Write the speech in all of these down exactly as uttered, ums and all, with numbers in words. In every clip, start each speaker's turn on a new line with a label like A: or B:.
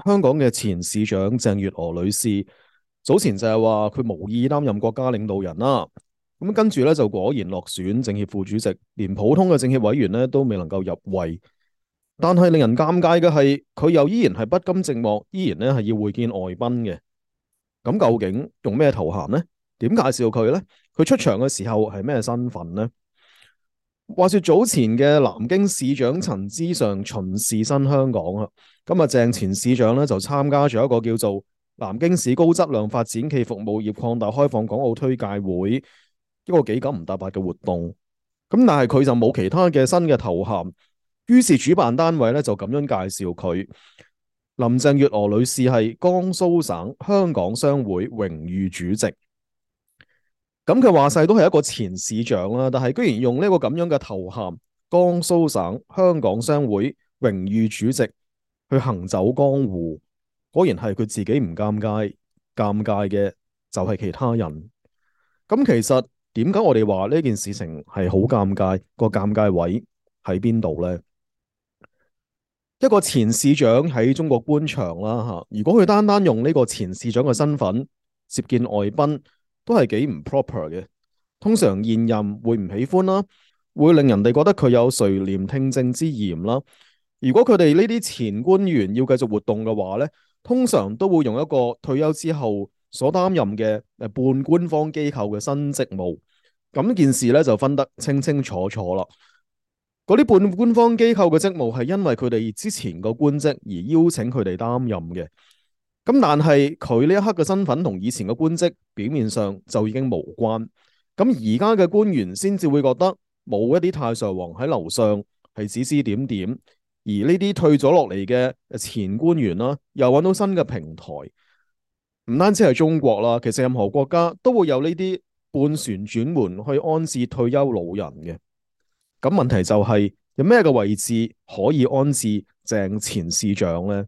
A: 香港嘅前市長鄭月娥女士早前就係話佢無意擔任國家領導人啦，咁跟住咧就果然落選政協副主席，連普通嘅政協委員咧都未能夠入圍。但係令人尷尬嘅係，佢又依然係不甘寂寞，依然咧係要會見外賓嘅。咁究竟用咩頭銜呢？點介紹佢呢？佢出場嘅時候係咩身份呢？話說早前嘅南京市長陳之上巡視新香港啊，今日鄭前市長咧就參加咗一個叫做南京市高質量發展暨服務業擴大開放港澳推介會，一個幾九唔搭八嘅活動。咁但係佢就冇其他嘅新嘅頭銜，於是主辦單位咧就咁樣介紹佢。林鄭月娥女士係江蘇省香港商會榮譽主席。咁佢話晒都係一個前市長啦，但係居然用呢個咁樣嘅頭銜，江蘇省香港商會榮譽主席去行走江湖，果然係佢自己唔尷尬，尷尬嘅就係其他人。咁其實點解我哋話呢件事情係好尷尬？個尷尬位喺邊度呢？一個前市長喺中國官場啦吓，如果佢單單用呢個前市長嘅身份接見外賓，都係幾唔 proper 嘅。通常現任會唔喜歡啦，會令人哋覺得佢有垂簾聽政之嫌啦。如果佢哋呢啲前官員要繼續活動嘅話呢，通常都會用一個退休之後所擔任嘅誒半官方機構嘅新職務。咁件事咧就分得清清楚楚啦。嗰啲半官方機構嘅職務係因為佢哋之前個官職而邀請佢哋擔任嘅。咁但係佢呢一刻嘅身份同以前嘅官職表面上就已經無關。咁而家嘅官員先至會覺得冇一啲太上皇喺樓上係指指點點，而呢啲退咗落嚟嘅前官員啦，又揾到新嘅平台。唔單止係中國啦，其實任何國家都會有呢啲半旋轉門去安置退休老人嘅。咁問題就係有咩嘅位置可以安置鄭前市長呢？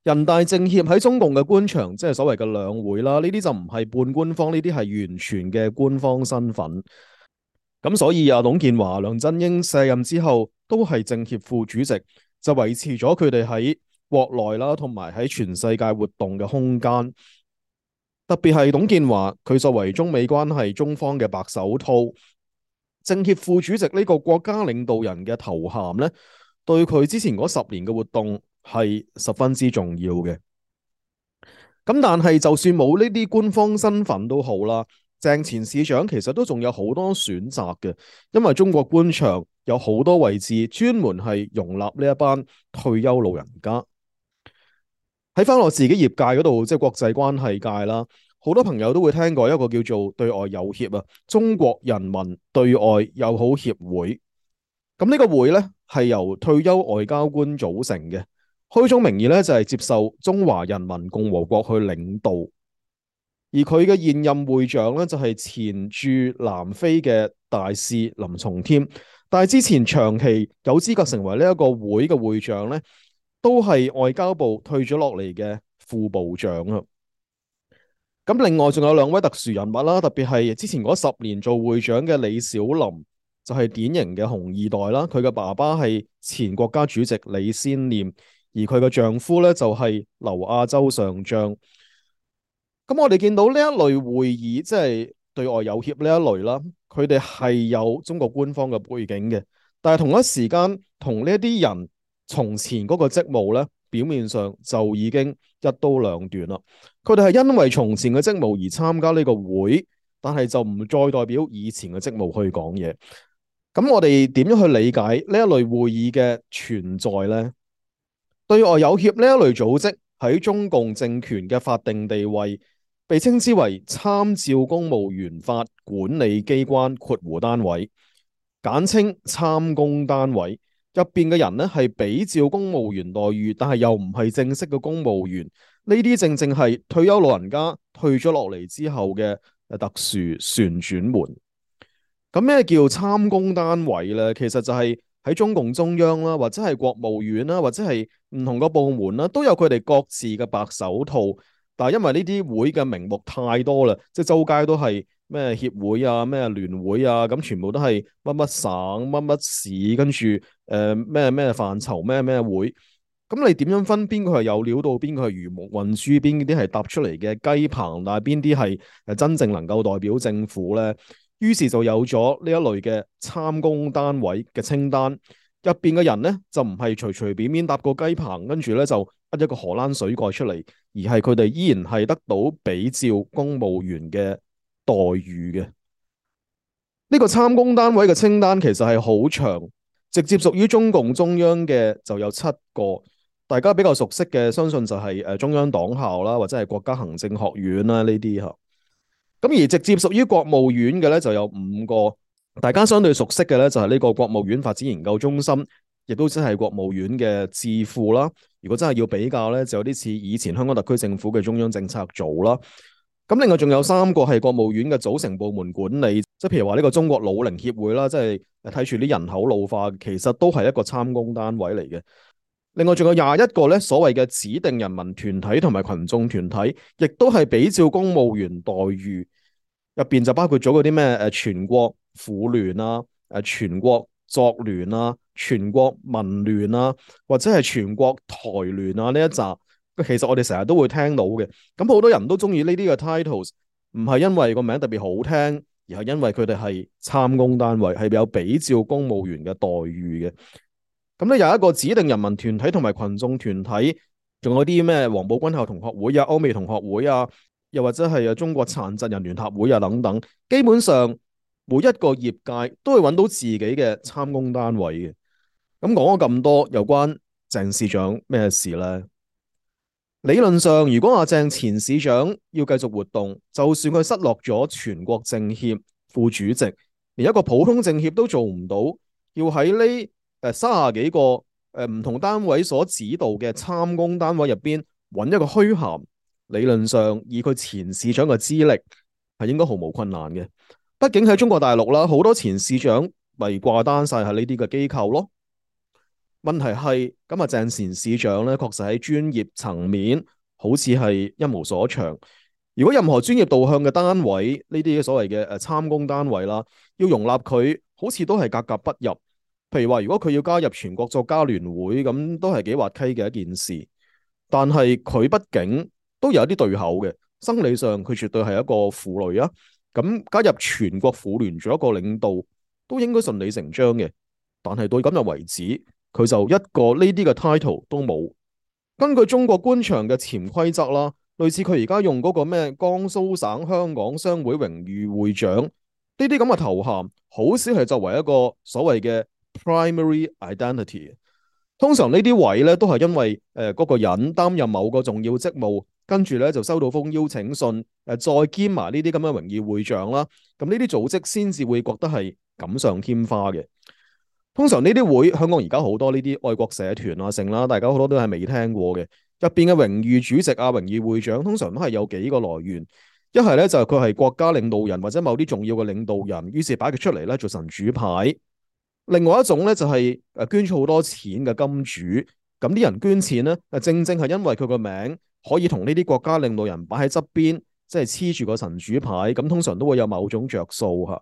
A: 人大政協喺中共嘅官場，即係所謂嘅兩會啦，呢啲就唔係半官方，呢啲係完全嘅官方身份。咁所以啊，董建華、梁振英卸任之後，都係政協副主席，就維持咗佢哋喺國內啦，同埋喺全世界活動嘅空間。特別係董建華，佢作為中美關係中方嘅白手套，政協副主席呢個國家領導人嘅頭銜呢，對佢之前嗰十年嘅活動係十分之重要嘅。咁但係就算冇呢啲官方身份都好啦，鄭前市長其實都仲有好多選擇嘅，因為中國官場有好多位置專門係容納呢一班退休老人家。喺翻我自己業界嗰度，即係國際關係界啦，好多朋友都會聽過一個叫做對外友協啊，中國人民對外友好協會。咁呢個會呢，係由退休外交官組成嘅，開宗明義咧就係接受中華人民共和國去領導。而佢嘅現任會長咧就係前駐南非嘅大使林松添，但係之前長期有資格成為呢一個會嘅會長咧，都係外交部退咗落嚟嘅副部長啊。咁另外仲有兩位特殊人物啦，特別係之前嗰十年做會長嘅李小林，就係典型嘅紅二代啦。佢嘅爸爸係前國家主席李先念，而佢嘅丈夫咧就係劉亞洲上將。咁我哋見到呢一類會議，即係對外友協呢一類啦，佢哋係有中國官方嘅背景嘅，但係同一時間同呢一啲人從前嗰個職務咧，表面上就已經一刀兩斷啦。佢哋係因為從前嘅職務而參加呢個會，但係就唔再代表以前嘅職務去講嘢。咁我哋點樣去理解呢一類會議嘅存在呢？對外友協呢一類組織喺中共政權嘅法定地位，被稱之為參照公務員法管理機關括弧單位，簡稱參公單位。入邊嘅人呢係比照公務員待遇，但係又唔係正式嘅公務員。呢啲正正係退休老人家退咗落嚟之後嘅特殊旋轉門。咁咩叫參公單位呢？其實就係喺中共中央啦，或者係國務院啦，或者係唔同個部門啦，都有佢哋各自嘅白手套。但係因為呢啲會嘅名目太多啦，即係周街都係咩協會啊、咩聯會啊，咁全部都係乜乜省、乜乜市，跟住誒咩咩範疇咩咩會。咁你點樣分邊個係有料到，邊個係魚目混珠，邊啲係搭出嚟嘅雞棚，但係邊啲係誒真正能夠代表政府咧？於是就有咗呢一類嘅參公單位嘅清單，入邊嘅人咧就唔係隨隨便便搭個雞棚，跟住咧就呃一個荷蘭水蓋出嚟，而係佢哋依然係得到比照公務員嘅待遇嘅。呢個參公單位嘅清單其實係好長，直接屬於中共中央嘅就有七個，大家比較熟悉嘅相信就係誒中央黨校啦，或者係國家行政學院啦呢啲嚇。咁而直接屬於國務院嘅咧就有五個，大家相對熟悉嘅咧就係呢個國務院發展研究中心，亦都即係國務院嘅智庫啦。如果真係要比較咧，就有啲似以前香港特區政府嘅中央政策組啦。咁另外仲有三個係國務院嘅組成部門管理，即係譬如話呢個中國老齡協會啦，即係睇住啲人口老化，其實都係一個參公單位嚟嘅。另外仲有廿一個咧所謂嘅指定人民團體同埋群眾團體，亦都係比照公務員待遇，入邊就包括咗嗰啲咩誒全國婦聯啊、誒全國作聯啊、全國民聯啊，或者係全國台聯啊呢一紮。其實我哋成日都會聽到嘅，咁好多人都中意呢啲嘅 titles，唔係因為個名特別好聽，而係因為佢哋係參公單位，係有比照公務員嘅待遇嘅。咁咧有一個指定人民團體同埋群眾團體，仲有啲咩黃埔軍校同學會啊、歐美同學會啊，又或者係啊中國殘疾人聯合會啊等等，基本上每一個業界都會揾到自己嘅參公單位嘅。咁講咗咁多，又關鄭市長咩事呢？理論上，如果阿鄭前市長要繼續活動，就算佢失落咗全國政協副主席，連一個普通政協都做唔到，要喺呢誒三十幾個誒唔同單位所指導嘅參公單位入邊揾一個虛銜，理論上以佢前市長嘅資歷係應該毫無困難嘅。畢竟喺中國大陸啦，好多前市長咪掛單晒喺呢啲嘅機構咯。問題係咁啊，鄭前市長咧，確實喺專業層面好似係一無所長。如果任何專業導向嘅單位，呢啲所謂嘅誒參公單位啦，要容納佢，好似都係格格不入。譬如話，如果佢要加入全國作家聯會，咁都係幾滑稽嘅一件事。但係佢畢竟都有一啲對口嘅，生理上佢絕對係一個婦女啊。咁加入全國婦聯做一個領導，都應該順理成章嘅。但係到今日為止，佢就一個呢啲嘅 title 都冇。根據中國官場嘅潛規則啦，類似佢而家用嗰個咩江蘇省香港商會榮譽會長呢啲咁嘅頭銜，好少係作為一個所謂嘅 primary identity。通常呢啲位咧都係因為誒嗰個人擔任某個重要職務，跟住咧就收到封邀請信，誒再兼埋呢啲咁嘅榮譽會長啦。咁呢啲組織先至會覺得係錦上添花嘅。通常呢啲會，香港而家好多呢啲愛國社團啊，成啦，大家好多都係未聽過嘅。入邊嘅榮譽主席啊、榮譽會長，通常都係有幾個來源。一係咧就係佢係國家領導人或者某啲重要嘅領導人，於是擺佢出嚟咧做神主牌。另外一種咧就係誒捐咗好多錢嘅金主，咁啲人捐錢咧，正正係因為佢個名可以同呢啲國家領導人擺喺側邊，即係黐住個神主牌，咁通常都會有某種着數嚇。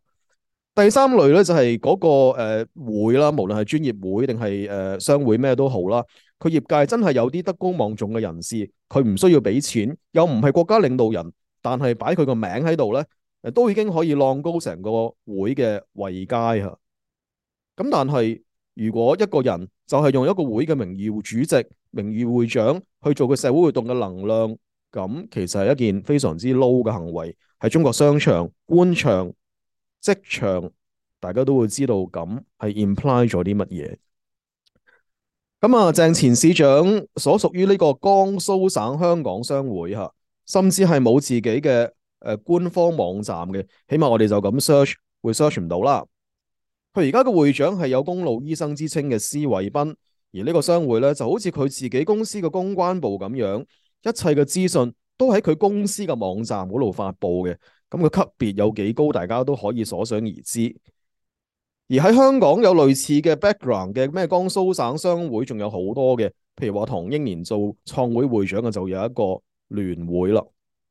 A: 第三類咧就係嗰個誒會啦，無論係專業會定係誒商會咩都好啦，佢業界真係有啲德高望重嘅人士，佢唔需要俾錢，又唔係國家領導人，但係擺佢個名喺度咧，誒都已經可以浪高成個會嘅位階嚇。咁但係如果一個人就係用一個會嘅名譽主席、名譽會長去做佢社會活動嘅能量，咁其實係一件非常之 low 嘅行為，喺中國商場、官場、職場，大家都會知道咁係 imply 咗啲乜嘢。咁啊，鄭前市長所屬於呢個江蘇省香港商會嚇，甚至係冇自己嘅誒、呃、官方網站嘅，起碼我哋就咁 search 會 search 唔到啦。佢而家嘅會長係有公路醫生之稱嘅施偉斌，而呢個商會咧就好似佢自己公司嘅公關部咁樣，一切嘅資訊都喺佢公司嘅網站嗰度發布嘅。咁佢級別有幾高，大家都可以所想而知。而喺香港有類似嘅 background 嘅咩江蘇省商會，仲有好多嘅，譬如話唐英年做創會會長嘅就有一個聯會啦。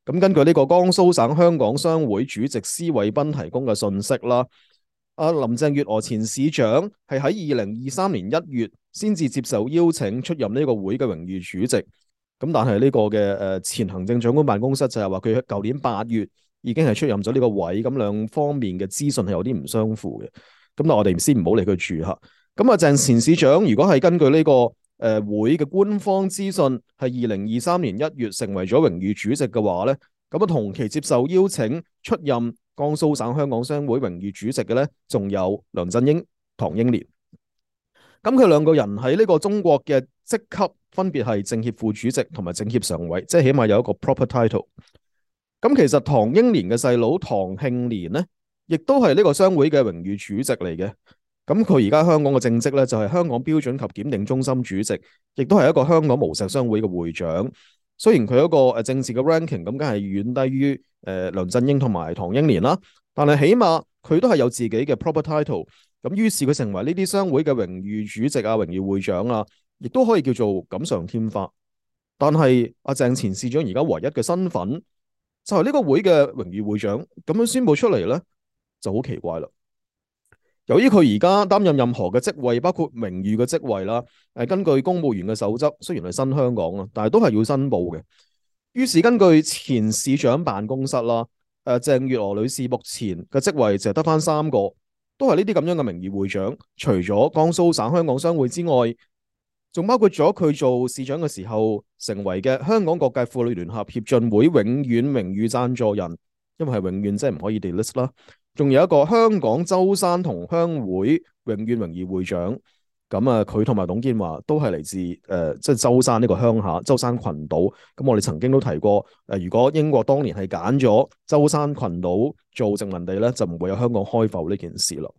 A: 咁根據呢個江蘇省香港商會主席施偉斌提供嘅信息啦，阿林鄭月娥前市長係喺二零二三年一月先至接受邀請出任呢個會嘅榮譽主席。咁但係呢個嘅誒前行政長官辦公室就係話佢喺舊年八月已經係出任咗呢個位，咁兩方面嘅資訊係有啲唔相符嘅。咁但我哋先唔好理佢住嚇。咁啊鄭前市長如果係根據呢、這個誒、呃、會嘅官方資訊係二零二三年一月成為咗榮譽主席嘅話咧，咁啊同期接受邀請出任江蘇省香港商會榮譽主席嘅咧，仲有梁振英、唐英年。咁佢兩個人喺呢個中國嘅職級分別係政協副主席同埋政協常委，即係起碼有一個 proper title。咁其實唐英年嘅細佬唐慶年咧，亦都係呢個商會嘅榮譽主席嚟嘅。咁佢而家香港嘅正職咧就係香港標準及檢定中心主席，亦都係一個香港無錫商會嘅會長。雖然佢一個誒政治嘅 ranking 咁，梗係遠低於誒梁振英同埋唐英年啦，但係起碼佢都係有自己嘅 proper title。咁於是佢成為呢啲商會嘅榮譽主席啊、榮譽會長啊，亦都可以叫做錦上添花。但係阿鄭前市長而家唯一嘅身份就係呢個會嘅榮譽會長，咁樣宣佈出嚟咧就好奇怪啦。由於佢而家擔任任何嘅職位，包括名譽嘅職位啦，誒根據公務員嘅守則，雖然係新香港啦，但係都係要申報嘅。於是根據前市長辦公室啦，誒鄭月娥女士目前嘅職位就係得返三個，都係呢啲咁樣嘅名譽會長。除咗江蘇省香港商會之外，仲包括咗佢做市長嘅時候成為嘅香港各界婦女聯合協進會永遠榮譽贊助人，因為係永遠即係唔可以 delist 啦。仲有一個香港舟山同鄉會永遠榮譽會長，咁啊佢同埋董建華都係嚟自誒、呃、即係舟山呢個鄉下舟山群島。咁我哋曾經都提過，誒、呃、如果英國當年係揀咗舟山群島做殖民地咧，就唔會有香港開埠呢件事咯。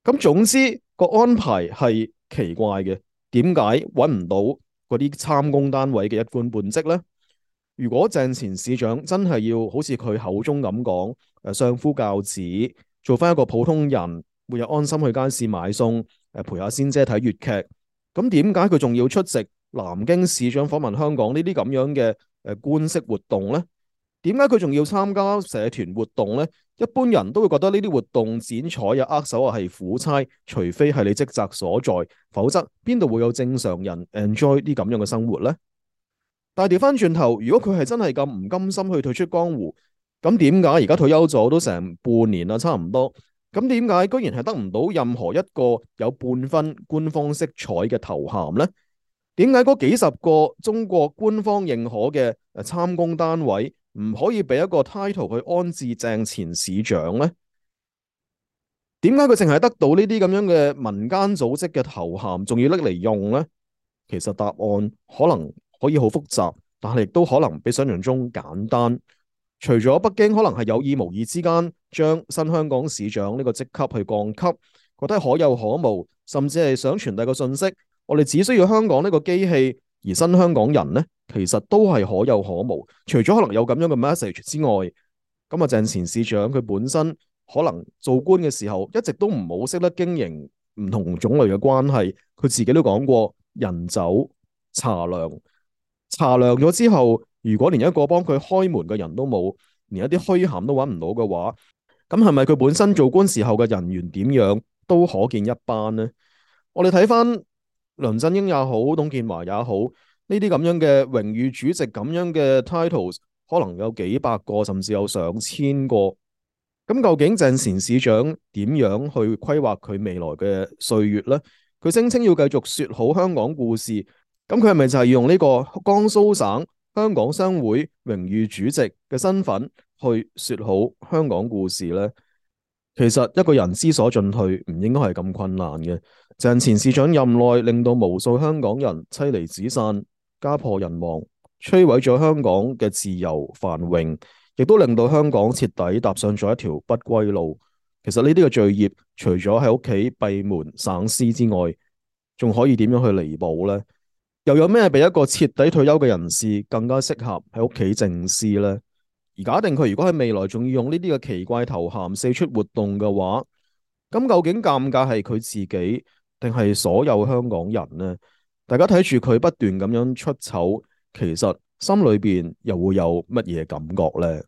A: 咁總之個安排係奇怪嘅，點解揾唔到嗰啲參公單位嘅一官半職咧？如果鄭前市長真係要好似佢口中咁講，誒相夫教子，做翻一個普通人，每日安心去街市買餸，誒陪下仙姐睇粵劇，咁點解佢仲要出席南京市長訪問香港呢啲咁樣嘅誒官式活動呢？點解佢仲要參加社團活動呢？一般人都會覺得呢啲活動剪彩啊、握手啊係苦差，除非係你職責所在，否則邊度會有正常人 enjoy 啲咁樣嘅生活呢？但係調翻轉頭，如果佢係真係咁唔甘心去退出江湖，咁點解而家退休咗都成半年啦，差唔多？咁點解居然係得唔到任何一個有半分官方色彩嘅頭銜呢？點解嗰幾十個中國官方認可嘅誒參公單位唔可以俾一個 title 去安置鄭前市長呢？點解佢淨係得到呢啲咁樣嘅民間組織嘅頭銜，仲要拎嚟用呢？其實答案可能可以好複雜，但係亦都可能比想象中簡單。除咗北京可能係有意無意之間將新香港市長呢個職級去降級，覺得可有可無，甚至係想傳遞個信息，我哋只需要香港呢個機器，而新香港人呢，其實都係可有可無。除咗可能有咁樣嘅 message 之外，咁啊鄭前市長佢本身可能做官嘅時候一直都唔好識得經營唔同種類嘅關係，佢自己都講過人走茶涼。查量咗之後，如果連一個幫佢開門嘅人都冇，連一啲虛銜都揾唔到嘅話，咁係咪佢本身做官時候嘅人緣點樣都可見一斑呢？我哋睇翻梁振英也好，董建華也好，呢啲咁樣嘅榮譽主席咁樣嘅 titles，可能有幾百個，甚至有上千個。咁究竟鄭前市長點樣去規劃佢未來嘅歲月呢？佢聲稱要繼續說好香港故事。咁佢係咪就係用呢個江蘇省香港商會榮譽主席嘅身份去說好香港故事呢？其實一個人知所進退唔應該係咁困難嘅。鄭前市長任內令到無數香港人妻離子散、家破人亡，摧毀咗香港嘅自由繁榮，亦都令到香港徹底踏上咗一條不歸路。其實呢啲嘅罪孽，除咗喺屋企閉門省思之外，仲可以點樣去彌補呢？又有咩比一個徹底退休嘅人士更加適合喺屋企靜思呢？而假定佢如果喺未來仲要用呢啲嘅奇怪頭銜四出活動嘅話，咁究竟尷尬係佢自己定係所有香港人呢？大家睇住佢不斷咁樣出醜，其實心裏邊又會有乜嘢感覺呢？